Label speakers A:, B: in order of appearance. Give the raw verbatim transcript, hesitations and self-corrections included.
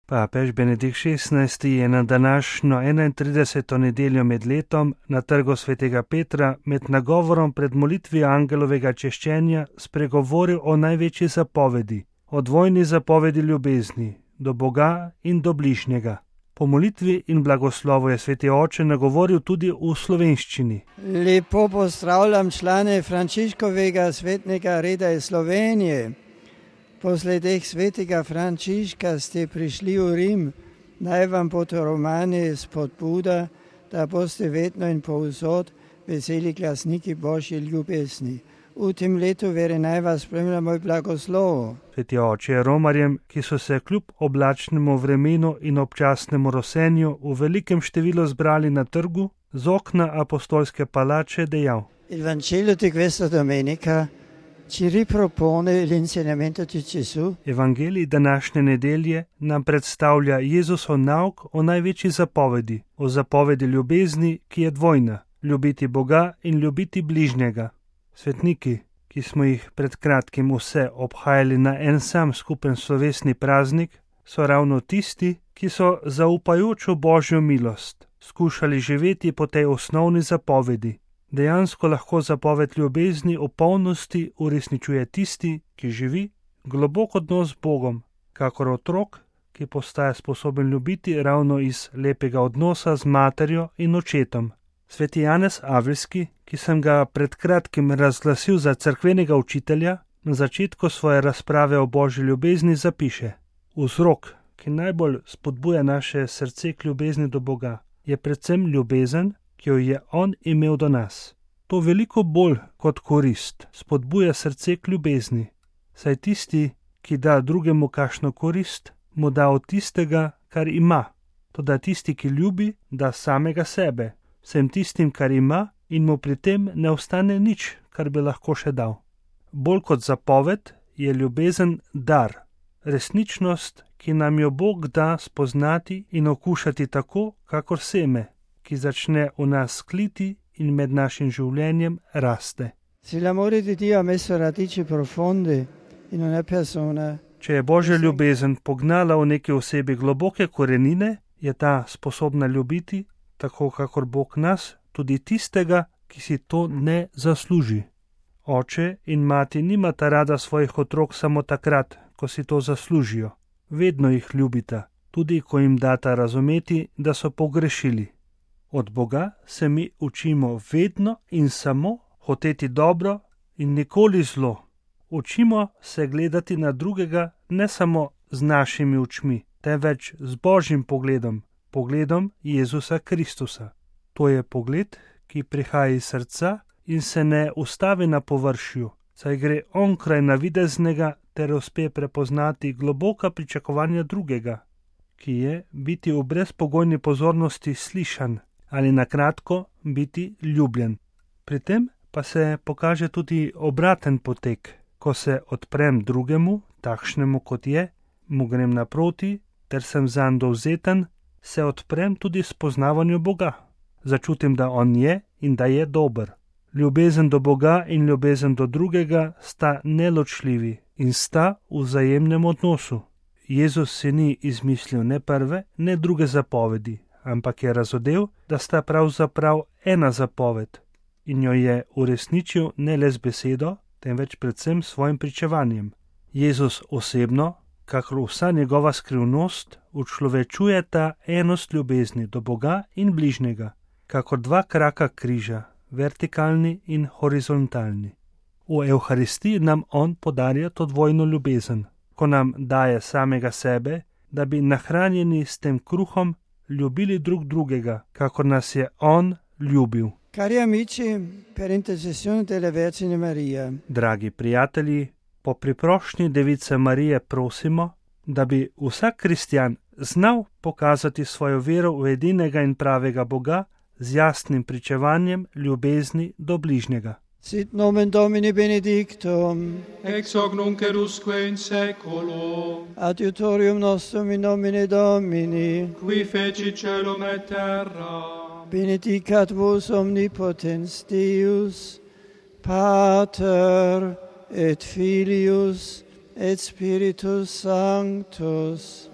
A: Papež Benedikt šestnajsti je na današnjo enaintrideseto nedeljo med letom na trgu svetega Petra med nagovorom pred molitvijo angelovega češčenja spregovoril o največji zapovedi, o dvojni zapovedi ljubezni, do Boga in do bližnjega. Po molitvi in blagoslovu je sveti oče nagovoril tudi v slovenščini.
B: Lepo pozdravljam člane Frančiškovega svetnega reda iz Slovenije. Po sledeh svetega Frančiška ste prišli v Rim, naj vam bo to romani spodbuda, da boste vedno in povsod veseli glasniki Božje ljubezni. V tem letu vere naj vas spremlja moj blagoslov.
A: Sveti oče je romarjem, ki so se kljub oblačnemu vremenu in občasnemu rosenju v velikem številu zbrali na trgu, z okna apostolske palače dejal:
B: Il Vangelo di questa domenica ci ripropone l'insegnamento di Gesù.
A: Evangelij današnje nedelje nam predstavlja Jezusov nauk o največji zapovedi, o zapovedi ljubezni, ki je dvojna, ljubiti Boga in ljubiti bližnjega. Svetniki, ki smo jih pred kratkim vse obhajali na en sam skupen slovesni praznik, so ravno tisti, ki so zaupajoč v Božjo milost skušali živeti po tej osnovni zapovedi. Dejansko lahko zapoved ljubezni v polnosti uresničuje tisti, ki živi globok odnos z Bogom, kakor otrok, ki postaja sposoben ljubiti ravno iz lepega odnosa z materjo in očetom. Sveti Janez Avelski, ki sem ga pred kratkim razglasil za cerkvenega učitelja, na začetku svoje razprave o Božji ljubezni zapiše: Vzrok, ki najbolj spodbuja naše srce k ljubezni do Boga, je predvsem ljubezen, ki jo je On imel do nas. To veliko bolj kot korist spodbuja srce k ljubezni, saj tisti, ki da drugemu kakšno korist, mu da od tistega, kar ima. Toda tisti, ki ljubi, da samega sebe, vsem tistim, kar ima, in mu pri tem ne ostane nič, kar bi lahko še dal. Bolj kot zapoved je ljubezen dar, resničnost, ki nam jo Bog da spoznati in okušati tako, kakor seme, ki začne v nas kliti in med našim življenjem raste.
B: Se l'amore di Dio ha messo radici profonde in una persona.
A: Če je Božja ljubezen pognala v neki osebi globoke korenine, je ta sposobna ljubiti, tako kakor Bog nas, tudi tistega, ki si to ne zasluži. Oče in mati nimata rada svojih otrok samo takrat, ko si to zaslužijo. Vedno jih ljubita, tudi ko jim data razumeti, da so pogrešili. Od Boga se mi učimo vedno in samo hoteti dobro in nikoli zlo. Učimo se gledati na drugega ne samo z našimi očmi, temveč z Božjim pogledom, pogledom Jezusa Kristusa. To je pogled, ki prihaja iz srca in se ne ustavi na površju, saj gre onkraj navideznega ter uspe prepoznati globoka pričakovanja drugega, ki je biti v brezpogojni pozornosti slišan ali na kratko biti ljubljen. Pri tem pa se pokaže tudi obraten potek, ko se odprem drugemu, takšnemu kot je, mu grem naproti, ter sem zanj dovzeten, se odprem tudi spoznavanju Boga. Začutim, da On je in da je dober. Ljubezen do Boga in ljubezen do drugega sta neločljivi in sta v vzajemnem odnosu. Jezus si ni izmislil ne prve, ne druge zapovedi, ampak je razodel, da sta pravzaprav ena zapoved in jo je uresničil ne le z besedo, temveč predvsem svojim pričevanjem. Jezus osebno, kakor vsa njegova skrivnost, učlovečuje ta enost ljubezni do Boga in bližnjega, kakor dva kraka križa, vertikalni in horizontalni. V Evharistiji nam On podarja to dvojno ljubezen, ko nam daje samega sebe, da bi nahranjeni s tem kruhom ljubili drug drugega, kakor nas je On ljubil.
B: Cari amici, per intercessione della Vergine Maria.
A: Dragi prijatelji, po priprošnji Device Marije prosimo, da bi vsak kristjan znal pokazati svojo vero v edinega in pravega Boga z jasnim pričevanjem ljubezni do bližnjega.
B: Sit nomen Domini benedictum,
C: ex hoc nunc et usque in saeculo,
B: adiutorium nostrum in nomine Domini,
C: qui feci caelum et terra,
B: benedicat vos omnipotens Deus, Pater et Filius et Spiritus Sanctus.